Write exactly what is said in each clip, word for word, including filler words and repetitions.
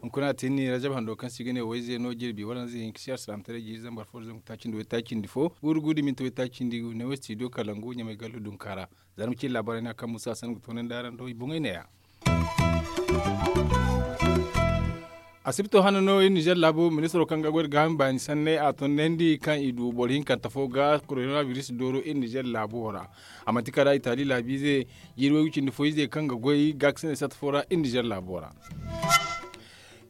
Hunkuna a tinni rajab hando kaŋ se i ga ne wayze no jirbi waranza hinka se alsilaamataray jiiri zambar fo da zangu taacindi waytaacindi fo guuru guuru da minti waytaacindi ne wo stidiyo kalangu ɲamay gallu dunka ra. Zarma cine laabaarey no ya kaŋ musa sanni ga toonandi araŋ do i boŋey ne- ya. Asibto hane no iri nizer laabu ministiro kaŋ ga goy nda gaaham baani sanney a tondandi kaŋ i du boro hinkante fo ga korona biris dooro iri nizer laabo ra. A manti kala itali laabiize jiiri waygu cindi fo ize kaŋ ga goy gaakasinay satta fo ra iri nizer laabo ra.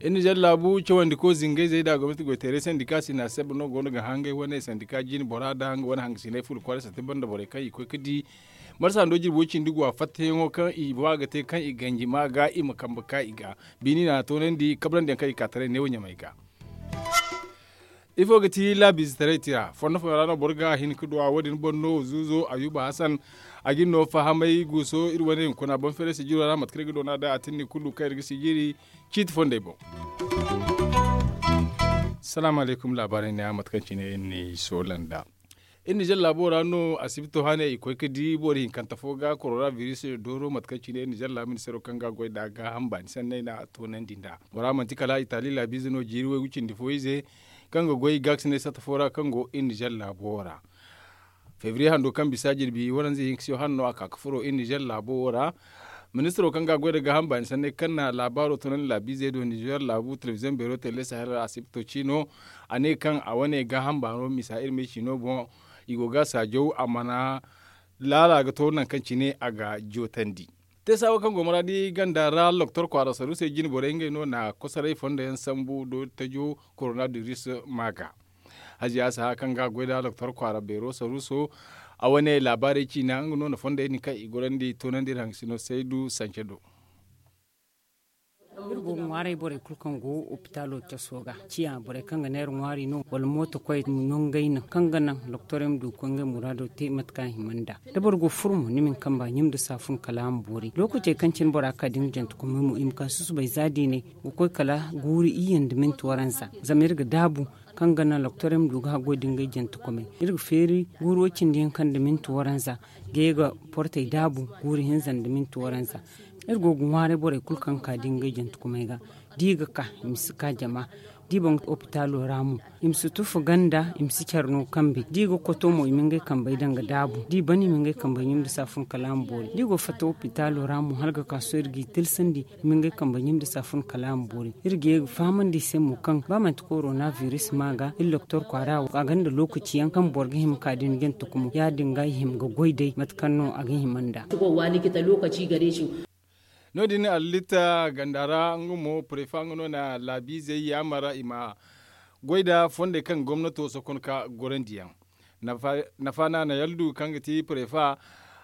Iri nizer laabu cawandiko zingayzey nda gomnati goyteeray sandika sina sebba no go no ga hangay wane sandika jine bora nda nga wane hangasinay fula kwaaray satta banda borey kaŋ i koy ga di marsa hando jirbo cindi go a fattayaŋo kaŋ i ba ga te kaŋ i ganji ma ga i ma kambe ka i ga. Biini na a toonandi kabrandi yaŋ kaŋ i ka taray neewo ɲamay ga. Ifo ga ti laabiizetaray tira fondo fooyaŋ ra no boro ga a hin ga du a wo- din boŋ no zuuzo ayuba hasan. A ga iri no fahamay guuso iri wane hunkuna boŋ feeray sijiro ra mate kaŋ iri ga doona nd'a a tinni kulu kaŋ iri ga sijiri ciiti fondey boŋ. Salaamu alaykum laabaarey ne a mate kaŋ cine iri n'i soola nd'a. Iri nizer laabo ra no asibito hane i koy ga di boro hinkante fo ga korona biris dooro mate kaŋ cine iri nizer laabu ministeero kaŋ ga a goy nd'a gaaham baani sanney no a toonandi nd'a. Bora manti kala itali laabiize no jiiri waygu cindi fo ize kaŋ ga goy gaakasinay satta fo ra kaŋ go iri nizer laabo ra. Febriye hando kaŋ bisa jirbi waranza hinka se hane no a ka ga furo iri nizer laabo wo ra. Ministiro kaŋ ga a goy nda gaaham baani sanney kaŋ na laabaaro toonandi laabiizey do nizer laabu telebiziyoŋ beero tele sahel ra asibto ciino. A ne kaŋ a wane gaaham baano misa iri me ciino boŋ i go ga a saajaw a mana laala ga to nangu kaŋ cine a ga jootandi. Teesa wo kaŋ go maraadi ganda ra loktor kwaara saruusey jine borey ngey no na kosoray fondo yaŋ sambu doori tajo korona diris ma ga. Haziya saha kaŋ ga a goy nda doktor kwaara beero saruuso a wane laabaarey ciina nga no na fondey din kaŋ i gorandi toonandi iri hangasino saydu sance do. Iri go ga ŋwaaray borey kulu kaŋ go opitaalo caso ga ciya borey kaŋ ga neera ŋwaari no wala mooto koy nongey naŋ kaŋ ga naŋ doktorey ma du ga koy ngey muraado te mate kaŋ a hima nd'a. Da boro go ga furo mo ni ma ni kamba ɲum nda saafun kala a ma boori lookacey kaŋ cine bora ga ka da nga jantakumay mo i ma ka susubay za diinay ga koy kala guuru iyye nda minti waranza zama iri ga daabu kaŋ ga naŋ loktorey ma du ga haggoy da ngey jantakumay. Iri ga feeri guuru wo cindi hinka nda minti waranza ga ye ga portey daabu guuru hinza nda minti waranza. Iri go ga ŋwaaray borey kulu kaŋ ga ka da ngey jantakumay ga da i ga ka i ma si ka jama da i ban opitaalo ra mo i ma si tufa ganda i ma si care no kambe da i ga koto mo i ma ngey kambey daŋ ga daabu da i ban i ma ngey kambey ɲum nda saafun kala a ma boori da i go ga fatta opitaalo ra mo hala ga ka sohõ iri g'i tilsandi i ma ngey kambey ɲum nda saafun kala a ma boori. Iri ga ye ga fahamandi i se mo kaŋ ba manti korona biris ma ga iri doktor kwaara wo a gonda lookaci yaŋ kaŋ boro ga hima ga ka da ni jantakumo ya- din ga i hima ga goy day mate kaŋ no a ga hima nd'a. Waani ga ta lookaci gare su. No- din allitta ganda ra nga mo prefa nga no na laabiizey yaamar i ma goy nda fondey kaŋ gomnato sokon ka gorandi yaŋ. Nafa na na yaldu kaŋ ga ti prefa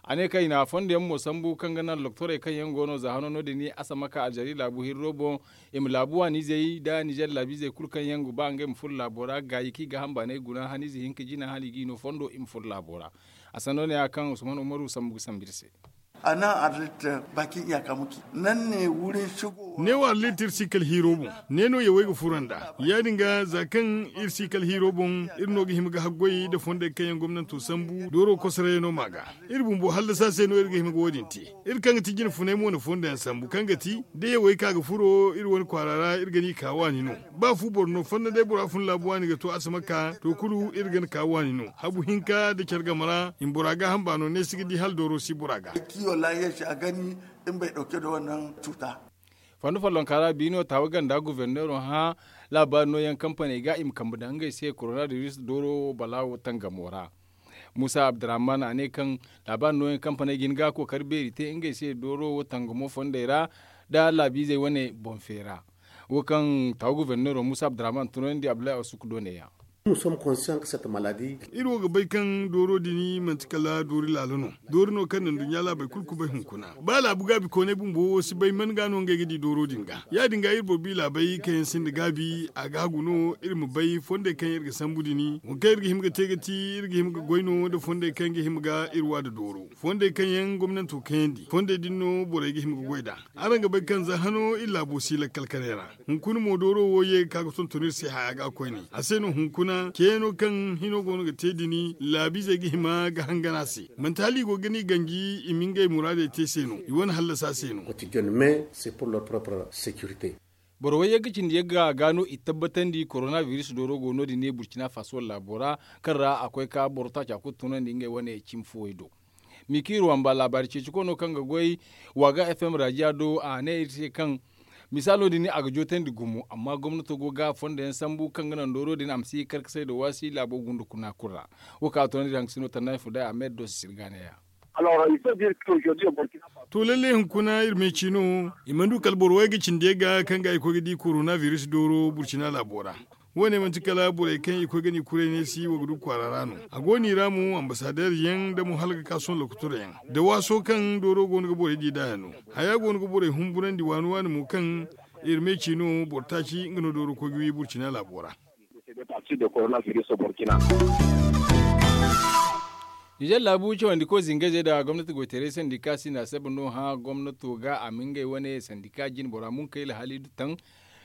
a ne kaŋ i na fondo yaŋ mo sambu kaŋ ga naŋ doktorey kaŋ yaŋ go no za hano no- din asamaka aljari laabu hirro boŋ i ma laabu waaniizey nda nizer laabiizey kulu kaŋ yaŋ ga ba ngey ma furo laabo ra gaayi kaŋ i ga hamba no ay guna haniize hinka jina hala i g'i no fondo i ma furo laabo ra. A sanno ne- ya kaŋ usman umaru sambu ga sambu iri se. A naŋ arlit bakin iyaka muke nan ne wurin shigo. Neewo arlit iri si kala hiiro boŋ. Neeno yawey ga furo nd'a ya- din ga za kaŋ iri si kala hiiro boŋ iri no ga hima ga haggoy nda fondey kaŋ yaŋ gomnanto sambu dooro kosorayey no ma ga. Iri bumbo hallasa se no iri ga hima ga wo- din te. Iri kaŋ ga ti jine funay mo na fondo yaŋ sambu kaŋ ga ti da yawey ka ga furo iri wane kwaara ra iri ga ni ka waani no. Ba fu boro no fonda day bora fun laabu waani ga to asamaka to kulu iri ga ni ka waani no habu hinka nda care game ra i ma bora gaaham baano ne si ga di hala dooro si bora ga. Kiyo laahiya se a gani in bay dauke da wannan cuta. Fondo follonka ra biino taawa ganda guverneero hã laabaari nooyaŋ kampaney ga i ma kambe daŋ ngey se korona biris dooro balaawo tangamo ra. Muusa abdurahman a ne kaŋ laabaari nooyaŋ kampaney ga hin ga kookari beeri te ngey se dooro wo tangamo fondey ra nda laabiizey wane boŋ feera. Wo kaŋ taawa guverneero muusa abdurahman tunandi abdullahi asuku do neeya. Iri wo ga bay kaŋ dooro din manti kala doori laalo no. Doori no kaŋ na nduɲɲa laabey kulu kubay hunkuna. Ba laabu gaabi kooney bumbo wo si bay man ga no ngey ga di dooro din ga ya- din ga iri boro bi laabey kaŋ yaŋ sinda gaabi a gaagu no iri ma bay fondey kaŋ iri ga sambu din. Wo kaŋ iri ga hima ga te ga ti iri ga hima ga goy no nda fondey kaŋ ga hima ga iri wa nda dooro fondey kaŋ yaŋ gomnanto kayandi fondey din no borey ga hima ga goy nd'a. Araŋ ga bay kaŋ za hano iri laabo si lakkal kanay ra. Hunkuna mo dooro wo ye ga ka ga tonton iri se haya ga koyne a se no hunkuna. Ceeno kaŋ hino go no ga te din, laabiizey ga hima ga hangan a se. Manti hala i go ga ni ganji i ma ngey muraadey te se no, i wane hallasa se no. Boro wayyaŋ ga cindi yagga ga no i tabbatandi korona biris dooro go no- din ne burcina faso laabo ra, kaŋ ra a koy ka boro taaca kulu tunandi ngey wane cimi fo way do. Mikiiru wamba laabaari ceeci koyno kaŋ ga goy waaga fm raajiya do a ne iri se kaŋ misaalo din a ga jootandi gumo amma gomnato go ga fondo yaŋ sambu kaŋ ga naŋ dooro din a ma si kar ga say da waasi laabo gunda kuna kulu ra. Wo kaŋ a tunandi haŋ ga si no tannay fo day a meeri do si sirga neeya. To lalle hunkuna iri meeci no i mana du kala boro way ga cindi yaŋ ga kaŋ ga i koy ga di korona biris dooro burcina laabo ra. Wo- ne manti kala borey kaŋ i koy ga ni kuray ne si wo ga du kwaara ra no. A go no i ra mo ambasadeer yaŋ nda mo hala ga ka sohõ lokotor yaŋ, da waaso kaŋ dooro go no ga borey di nd'a yaŋ no. Haya go no ga borey humburandi waani waani mo kaŋ iri meeci no boro taaci nga no dooro koy ga wi burcina laabo ra. Nizer laabu cawandi koy zingayzey nda gomnati goytaray sandika si na saba no hã gomnato ga a ma ngey wane sandika jine bora munkayla halidu taŋ.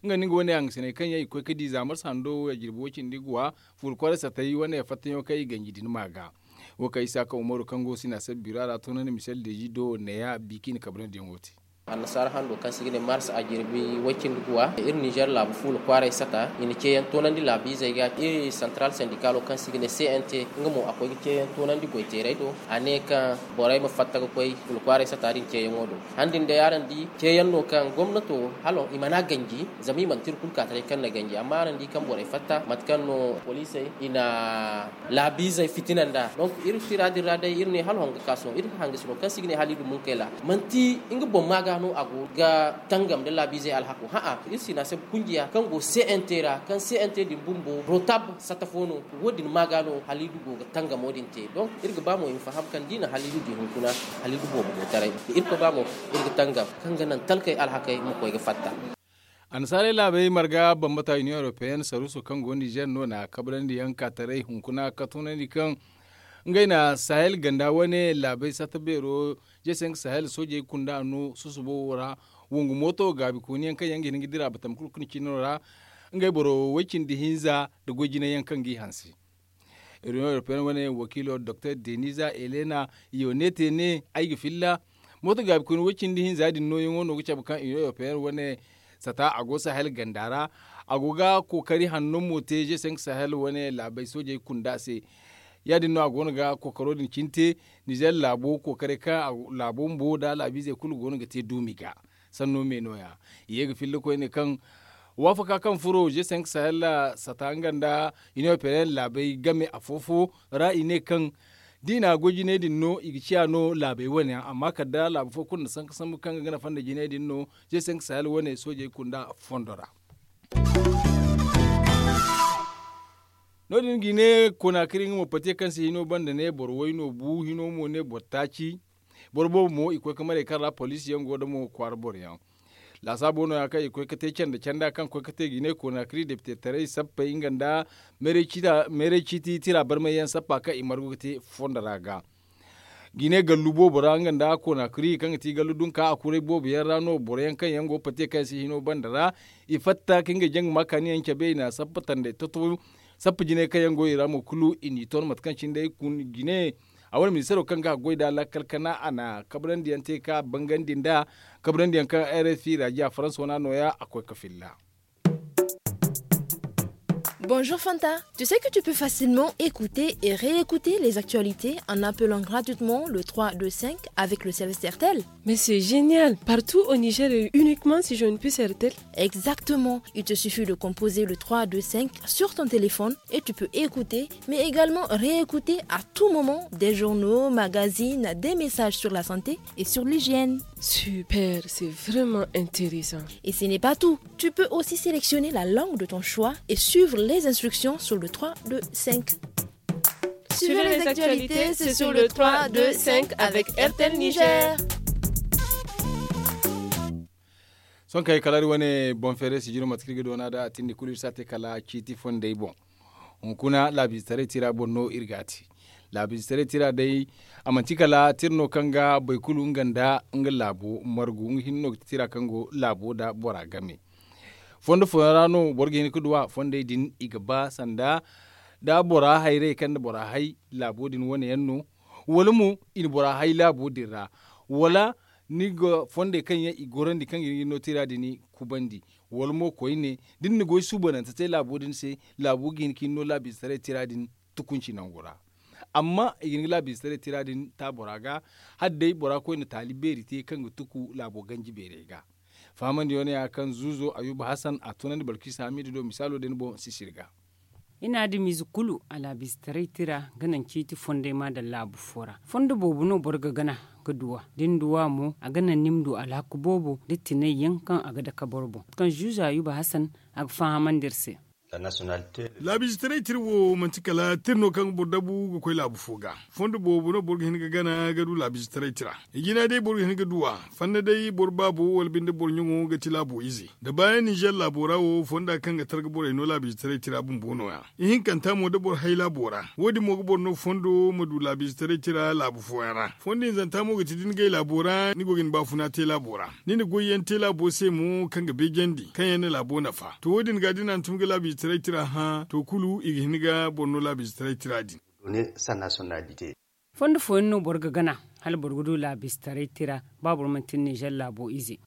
Nga nda nga wane hangasiney kaŋ yaŋ i ga koy ga di za marsa hando ya jirbi way cindi ga wa fuula kwaaray satay wane fattayaŋo kaŋ i ganji din ma ga. Wo kaŋ isa ka umaru kaŋ go si na saba biro a ra toonandi misel deezi do neeya biiki na kabrandi yaŋo te. Annasaara hando kaŋ se i ga ne mars a jirbi way cindi ga wa iri nizer laabu fuula kwaaray sata i na ceeyaŋ toonandi laabiizey ga iri santaral sandikaalo kaŋ se i ga ne cnt, nga mo a koy ga ceeyaŋ toonandi goyteerey do. A ne kaŋ borey ma fatta ga koy fuula kwaaray sata din ceeyaŋo do. Han din day araŋ di ceeyaŋ no kaŋ gomnato hala i mana ganji zama i mana te iri kulu ka taray kaŋ na ganji amma araŋ di kaŋ borey fatta mate kaŋ no poliisey i na laabiizey fitina nd'a. Donk iri tira din ra day iri ne hala hon ga ka sohõ iri hangasino kaŋ se i ga ne halidu munkayla manti nga boŋ ma ga no a go ga tangam nda laabiizey alhako hã'a iri si na se kunjiya kaŋ go cnt ra kaŋ cnt din bumbo rotab sata fo no. Wo- din ma ga no halidu go ga tangamo din te donk iri ga ba mo i ma faham kaŋ da i na halidu di hunkuna halidu boobo go taray da irkoy ba mo iri ga tangam kaŋ ga naŋ talkey alhakey ma koy ga fatta. Annasaarey laabey marga bambata union europeenne saruuso kaŋ go nizer no na kabrandi yaŋ ka taray hunkuna ka tunandi kaŋ ngey na sahel ganda wane laabey sata beero, jesenk sahel soojey kunda no susubo wo ra. Wangu mooto gaabikooni yaŋ kaŋ yaŋ ga hin ga dira batam kulu kaŋ cino ra ngey boro way-cindi hinza nda goy jinay yaŋ kaŋ g'i hanse. Reunion europeen wane wakiilo doktor deniza elena yonete ne ay ga filla mooto gaabi koyne way-cindi hinza din nooyaŋo no ga cabe kaŋ union europeen wane sata a go sahel ganda ra. A go ga kookari hanno mo te g cinq sahel wane laabey soojey kunda se. Ya- din no a go no ga kookaro din cine te. Nizer laabo kookaray kaŋ laabo bumbo nda laabiizey kulu go no ga te duumi ga sanno me nooya. I ye ga filla koyne kaŋ waafaka kaŋ furo g cinq sahel sata nga nda union europeen laabey game afo-fo ra i ne kaŋ da i na a goy jinay din no i ga ciya no laabey wane yaŋ amma kala da laabu fo kulu na sanka sambu kaŋ ga gana fonda jinay din no g cinq sahel wane soojey kunda fondo ra. No- din ga i ne konaakiri nga mo patiye kaŋ se hino banda ne boro way no bu hino mo ne boro taaci. Boro boobo mo i koy ga maray kaŋ ra poliisi yaŋ go da mo kwaara boro yaŋ. Laasaabo no- ya kaŋ i koy ga te canda canda kaŋ koy ga te ga i ne konaakiri depite taray sappey nga nda meeray ciiti tira barmay yaŋ sappa kaŋ i margu ga te fondo ra ga. Ga i ne gallu boobo ra nga nda konaakiri kaŋ ga ti gallu dunka a kuray boobo yaŋ ra no boro yaŋ kaŋ yaŋ go patiye kaŋ se hino banda ra i fatta ka ngey jaŋ ga ma kaani yaŋ cabe i na sappa tandey toto. Sappa jinay kaŋ yaŋ go i ra mo kulu i n'i ton mate kaŋ cine day kun jine. A wane ministaro kaŋ ga goy nda lakkal kana a na kabrandi yaŋ te ka bangandi nda kabrandi yaŋ kaŋ r f i ra jiya faransa wana nooya a koy ga filla. Bonjour Fanta. Tu sais que tu peux facilement écouter et réécouter les actualités en appelant gratuitement le trois deux cinq avec le service Airtel. Mais c'est génial. Partout au Niger et uniquement si j'ai une puce Airtel. Exactement. Il te suffit de composer le trois deux cinq sur ton téléphone et tu peux écouter mais également réécouter à tout moment des journaux, magazines, des messages sur la santé et sur l'hygiène. Super, c'est vraiment intéressant. Et ce n'est pas tout. Tu peux aussi sélectionner la langue de ton choix et suivre les instructions sur le trois deux cinq. Suivez les actualités, c'est sur le trois deux cinq avec Airtel Niger. Sohõ kaŋ ay kala iri wane boŋ feeray sijiro mate kaŋ iri ga doona nd'a a tindi kulu iri si a te kala ciiti fondey boŋ. Hunkuna laabiizetaray tira boŋ no iri ga a te. Laabiizetaray tira day a manti kala tira no kaŋ ga boro kulu nga nda nga laabo margu nga hinne no ga ti tira kaŋ go laabo nda bora game. Fondo fooyaŋ ra no boro ga hin ga duw'a fondey din i ga ba sanda da bora hayray kaŋ na bora hay laabo din wane yaŋ no, wala mo i na bora hay laabo din ra, wala ni ga fondey kaŋ yaŋ i gorandi kaŋ ga hin ga ni no tira din kubandi, wala mo koyne da ni na goy suubanante te laabo din se, laabo ga hin ga ni no laabiizetaray tira din tukunci nangu ra. Amma i ga hin ga laabiizetaray tira din ta bora ga, hala day bora koyne taali beeri te kaŋ ga tuku laabo ganji beerey ga. Fahamandi yaŋ no ya kaŋ zuuzo ayuba hasan a tunandi balkisa hamiida do misaalo din boŋ sisiri ga. Ina adamiize kulu a laabiizetaray tira ga naŋ ciiti fondey ma daŋ laabu fo ra. Fondo boobo no boro ga gana ga duw'a da ni duw'a mo a ga naŋ ni ma du alhaku boobo da tinay yaŋ kaŋ a ga dake boro boŋ kaŋ zuuzo ayuba hasan a ga fahamandi iri se. Laabiizetaray tira wo manti kala tira no kaŋ ga boro dabu ga koy laabu fo ga. Fondo boobo no boro ga hin ga gana ga du laabiizetaray tira. I jina day boro ga hin ga duw'a. Fanna day boro baabo wala binde boro ɲaŋo ga ti laabo ize. Da baayaŋ ninzeer laabo ra wo fonda kaŋ ga targa borey no laabiizetaray tira bumbo no- ya. Ihinkanta mo da boro hay laabo ra wo- din mo ga boro no fondo ma du laabiizetaray tira laabu fooyaŋ ra. Fondo hinzanta mo ga ti da ni gay laabo ra ni go ga ni baafuna te laabo ra, ni na goyyaŋ te laabo se mo kaŋ ga beejandi kaŋ yaŋ na laabo nafa. To wo- din ga da ni hantum ga laabiizetaray tira hã to kulu i ga hin ga boro no laabiizetaray tira din. Fondo fooyaŋ no boro ga gana hala boro ga du laabiizetaray tira ba boro manti ninzeer laabo ize.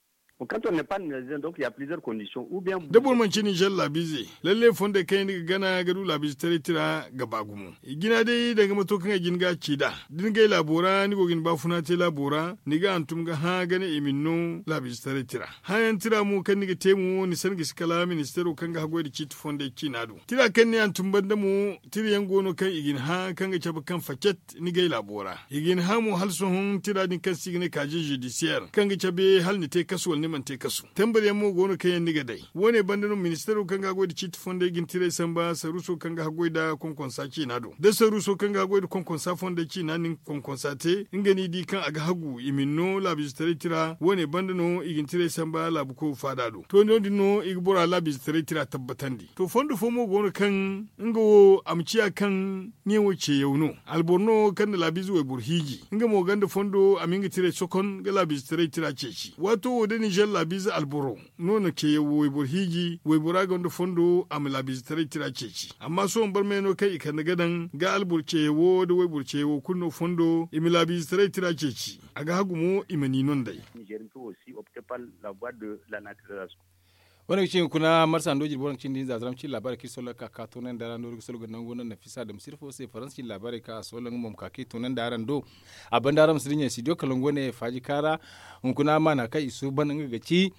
Da boro manci ninzeer laabiize lalle fondey kaŋ yaŋ ni ga gana ga du laabiizetaray tira ga ba gumo. I jina day danga mato kaŋ ay jin ga a ci nd'a da ni gay laabo ra ni go ga ni baafuna te laabo ra ni ga hantum ga hã gana i ma ni no laabiizetaray tira. Hãyaŋ tira mo kaŋ ni ga te mo ni san ga si kala ministeero kaŋ ga haggoy nda ciiti fondey ciina do tira kaŋ ni hantum banda mo. Tira yaŋ go no kaŋ i ga ni hã kaŋ ga cabe kaŋ facet ni gay laabo ra. I ga ni hã mo hala sohõ tira din kaŋ se i ga ne kaaze zudisiyeer kaŋ ga cabe hala ni te kasu wala ni mana te kasu. Tambar yaŋ mo go no kaŋ yaŋ ni ga day. Wo- ne banda no ministeero kaŋ ga haggoy nda ciiti fondey ga ni tiray samba saruuso kaŋ ga haggoy nda konkonsa ciina do da saruuso kaŋ ga haggoy nda konkonsa fondey ciina na ni konkonsa te nga no i di kaŋ a ga hagu i ma ni no laabiizetaray tira wo- ne banda no i ga ni tiray samba laabu koy faada do to no- din no i ga bora laabiizetaray tira tabbatandi to fondo fo mo go no kaŋ nga wo a ma ciya kaŋ ɲeewo ceeyaw no. Alboro no kaŋ na laabiize wayboro hiiji nga mo gonda fondo a ma hin ga tiray sokon ga laabiizetaray tira ceeci waato wo da ninzeer laabiize alboro no na ceeyaw wayboro hiiji waybora gonda fondo a ma laabiizetaray tira ceeci. Amma sohõ barmey no kaŋ i kande ga daŋ ga alboro ceeyawo nda wayboro ceeyawo kulu no fondo i ma laabiizetaray tira ceeci. A ga hagu mo i ma ni no nd'ey. Wane ga ci hunkuna marsa ndo jirbi wane ga cindi hinza zaram cindi laabaarey kaŋ i soloŋ ga ka ka toonandi araŋ do iri ga soloŋ ga nangu no nafisa da ma sirfo se faransa cindi laabaarey kaŋ a soloŋ nga mo ma ka kaŋ i toonandi araŋ do. A banda araŋ ma si dinya studio kalangu wane faaji kaara. Hunkuna maana kaŋ i suuban nga ga ci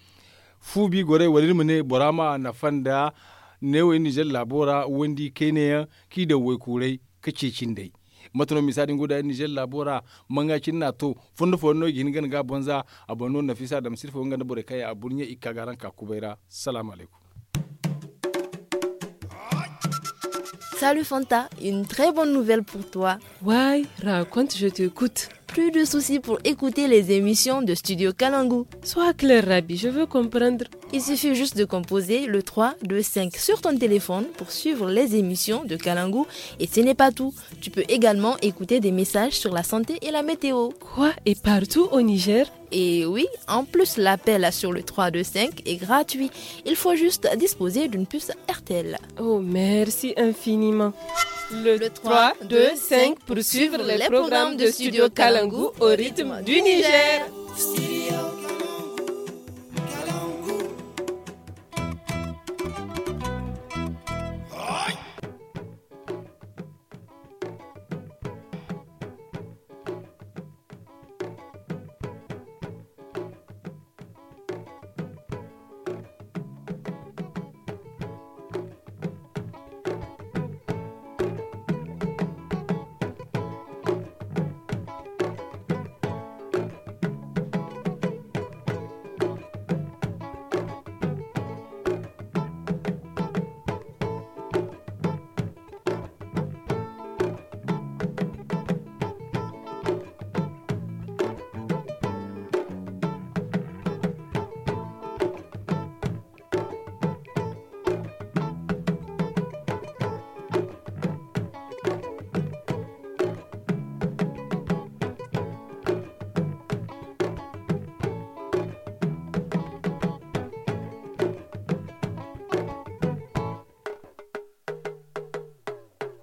fu bi gorey wala iri ma ne bora ma nafa nda neewey ninzeer laabo ra wandi kayna yaŋ kaŋ i daŋ waykuuray ka ceeci nd'ey. Mate no misa din go da ninzeer laabo ra? Manga cine no a to fondo fooyaŋ no i ga hin ga ni ga a boŋ za a boŋ no nafisa da ma sirfo nga nda borey kaŋ yaŋ a burɲe i ga ka ga araŋ ka kubay ra. Salaamu alaykum. Salut Fanta, une très bonne nouvelle pour toi. Why, raconte, je t'écoute. Plus de soucis pour écouter les émissions de Studio Kalangu. Sois clair, Rabi, je veux comprendre. Il suffit juste de composer le trois deux cinq sur ton téléphone pour suivre les émissions de Kalangu. Et ce n'est pas tout. Tu peux également écouter des messages sur la santé et la météo. Quoi, et partout au Niger? Et oui, en plus, l'appel sur le trois deux cinq est gratuit. Il faut juste disposer d'une puce R T L. Oh, merci infiniment. Le trois deux cinq pour suivre les programmes de Studio Kalangu au rythme du Niger.